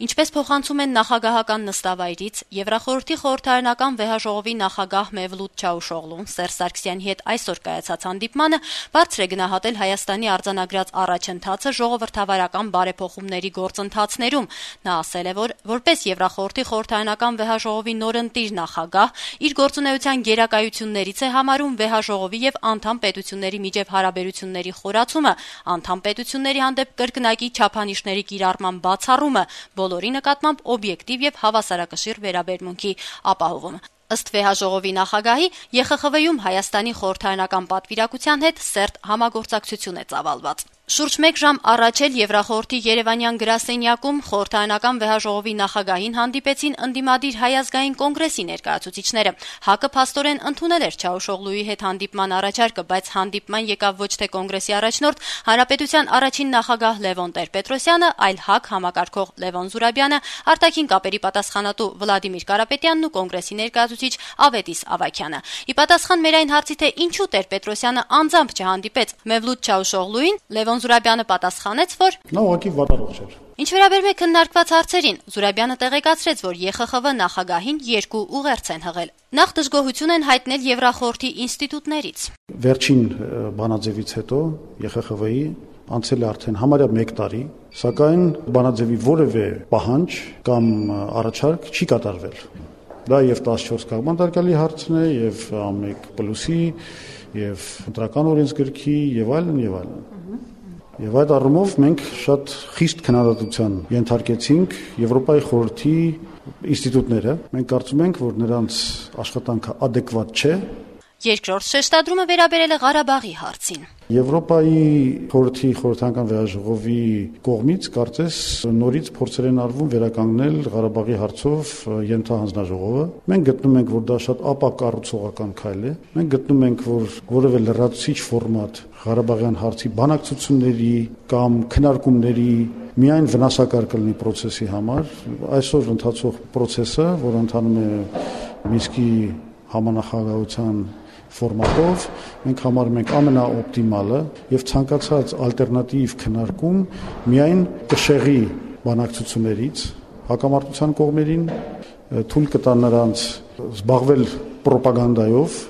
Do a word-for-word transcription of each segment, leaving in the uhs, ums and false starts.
Ինչպես փոխանցում են նախագահական նստավայրից, Եվրախորհրդի խորհրդարանական վեհաժողովի նախագահ Մևլութ Չավուշօղլուն Սերժ Սարգսյանի հետ այսօր կայացած հանդիպմանը բարձր է գնահատել Հայաստանի արձանագրած առաջընթացը ժողովրդավարական բարեփոխումների գործընթացներում։ Նա ասել է, որ որպես Եվրախորհրդի խորհրդարանական վեհաժողովի նորընտիր նախագահ իր գործունեության գերակայություններից է համարում վեհաժողովի եւ անդամ պետությունների միջև հարաբերությունների խորացումը, անդամ պետությունների հանդեպ կրկնակի չափանիշների կիրառման բացառումը, բոլորի նկատմամբ օբյեկտիվ եւ հավասարակշիռ վերաբերմունքի ապահովումը։ Ըստ վեհաժողովի նախագահի Ե Խ Խ V-ում Հայաստանի խորհրդարանական պատվիրակության հետ սերտ համագործակցություն է ծավալված։ Շուրջ մեկ ժամ առաջ էլ Եվրախորհրդի Երևանյան գրասենյակում խորհրդարանական վեհաժողովի նախագահին հանդիպեցին ընդդիմադիր Հայ ազգային կոնգրեսի ներկայացուցիչները։ ՀԱԿ-ը փաստորեն ընդունել էր Չավուշօղլուի հետ հանդիպման առաջարկը, բայց հանդիպման եկավ ոչ թե կոնգրեսի առաջնորդ, Հանրապետության առաջին նախագահ Լևոն Տեր-Պետրոսյանը, այլ ՀԱԿ համակարգող Լևոն Զուրաբյանը, արտաքին կապերի պատասխանատու Վլադիմիր Կարապետյանն ու կոնգրեսի ներկայացուցիչ Ավետիս Ավագյանը։ Ի պատասխան մեր այն հարցի, թե ինչու Տեր-Պետրոսյանը անձամբ չհանդիպեց Մևլութ Չավուշօղլուին, Լևոն Զուրաբյանը պատասխանեց, որ նա ուղղակի վատառողջ էր։ Ինչ վերաբերում է քննարկված հարցերին, Զուրաբյանը տեղեկացրեց, որ Ե Խ Խ V նախագահին երկու ուղերձ են հղել։ Նախ դժգոհություն են հայտնել Եվրախորհրդի ինստիտուտներից։ Վերջին բանաձևից հետո Ե Խ Խ V-ի անցել է արդեն համարյա մեկ տարի, սակայն բանաձևի որևէ պահանջ կամ առաջարկ չի կատարվել։ Դա եւ տասնչորս կաղբանտարկյալի հարցն է, եւ ամեկ պլյուսի, եւ ընտրական օրենսգրքի եւ այլն եւ այլն։ Եվ այդ առումով մենք շատ խիստ քննադատության ենթարկեցինք Եվրոպայի խորհրդի ինստիտուտները։ Մենք կարծում ենք, որ նրանց աշխատանքը adekvat չէ։ Երկրորդ շեշտադրումը վերաբերել է Ղարաբաղի հարցին։ Եվրոպայի խորհրդի խորհրդարանական վեհաժողովի կողմից կարծես նորից փորձեր են արվում վերականգնել Ղարաբաղի հարցով ենթահանձնաժողովը։ Մենք գտնում ենք, որ դա շատ ապակառուցողական քայլ է։ Մենք գտնում ենք, որ որևէ լրացուցիչ ֆորմատ Ղարաբաղյան հարցի բանակցությունների կամ քննարկումների միայն վնասակար կլինի process-ի համար։ Այսօր ընթացող process-ը, որ ընթանում է Մինսկի համանախագահության ֆորմատով, մենք համարում ենք ամենաօպտիմալը եւ ցանկացած ալտերնատիվ քննարկում միայն կշեղի բանակցություններից հակամարտության կողմերին, թույլ կտա նրանց զբաղվել պրոպագանդայով։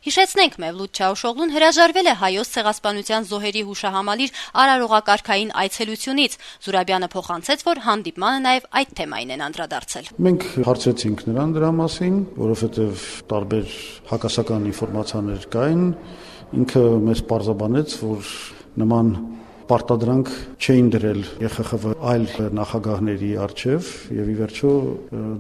Հիշեցնենք, Մևլութ Չավուշօղլուն հրաժարվել է Հայոց ցեղասպանության զոհերի հուշահամալիր արարողակարգային այցելությունից։ Զուրաբյանը փոխանցեց, որ հանդիպմանը նաև այդ թեմային են անդրադարձել։ Մենք հարցրեցինք նրան դրա մասին, որովհետև տարբեր հակասական ինֆորմացիաներ կային, ինքը մեզ պարզաբանեց, որ նման պարտադրանք չէին դրել Ե Խ Խ V այլ նախագահների առջև եւ ի վերջո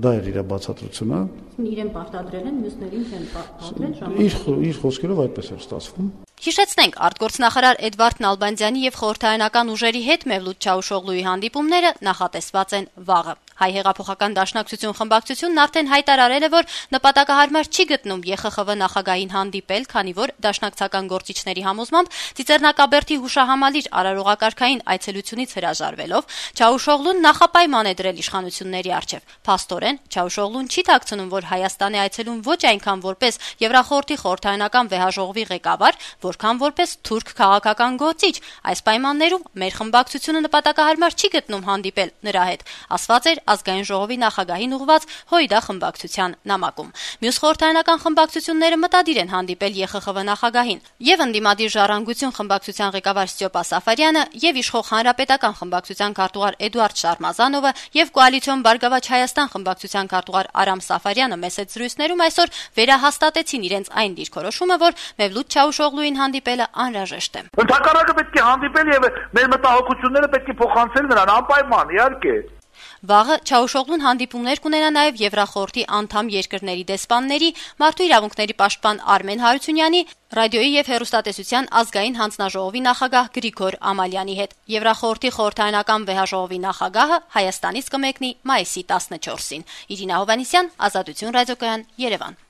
դա էր իր բացատրությունը։ Իրեն պարտադրել են, մյուսներին չեն պարտադրել։ Իր իր խոսքերով այդպես էր ստացվում։ Հիշեցնենք, արտգործնախարար Էդվարդ Նալբանդյանի եւ խորհրդարանական ուժերի հետ Մևլութ Չավուշօղլուի հանդիպումները նախատեսված են վաղը։ Հայ հեղափոխական դաշնակցություն խմբակցությունն արդեն հայտարարել է, որ նպատակահարմար չի գտնում Ե Խ Խ V նախագահին հանդիպել, քանի որ դաշնակցական գործիչների համոզմամբ Ծիծեռնակաբերդի հուշահամալիր արարողակարգային այցելությունից հրաժարվելով Չավուշօղլուն նախապայման է դրել իշխանությունների առջև։ Փաստորեն Չավուշօղլուն չի ཐակցնում, որ Հայաստան է այցելում ոչ այնքան որպես Եվրախորհրդի խորհրդարանական վեհաժողովի ղեկավար, որքան որպես թուրք քաղաքական գործիչ։ Այս պայմաններում մեր խմբակցությունը նպատակահարմար չի գտնում հանդիպել նրա հետ, ասված էր ազգային ժողովի նախագահին ուղված Հույդա խմբակցության նամակում։ Մյուս խորհրդարանական խմբակցությունները մտադիր են հանդիպել Ե Խ Խ V նախագահին։ Եվ ընդդիմադիր Ժառանգություն խմբակցության ղեկավար Ստյոպա Սաֆարյանը, եւ իշխող Հանրապետական խմբակցության քարտուղար Էդուարդ Շարմազանովը եւ Կոալիցիոն Բարգավաճ Հայաստան խմբակցության քարտուղար Արամ Սաֆարյանը մեծ զրույցներում այսօր վերահաստատեցին իրենց այն դիրքորոշումը, որ Մևլութ Չավուշօղլուին հանդիպելը անհրաժեշտ է։ Ընդհանրապես պետք է հանդիպել եւ մեր մտահոգությունները պետք է փոխանցել նրան անպայման, իհարկե։ Վաղը Չավուշօղլուն հանդիպումներ կունենա նաև Եվրախորհրդի անդամ երկրների դեսպանների, մարդու իրավունքների պաշտպան Արմեն Հարությունյանի, ռադիոյի եւ հեռուստատեսության ազգային հանձնաժողովի նախագահ Գրիգոր Ամալյանի հետ։ Եվրախորհրդի խորհրդարանական վեհաժողովի նախագահը Հայաստանից կմեկնի մայիսի տասնչորսին։ Իրինա Հովհաննիսյան, Ազատություն ռադիոկայան, Երևան։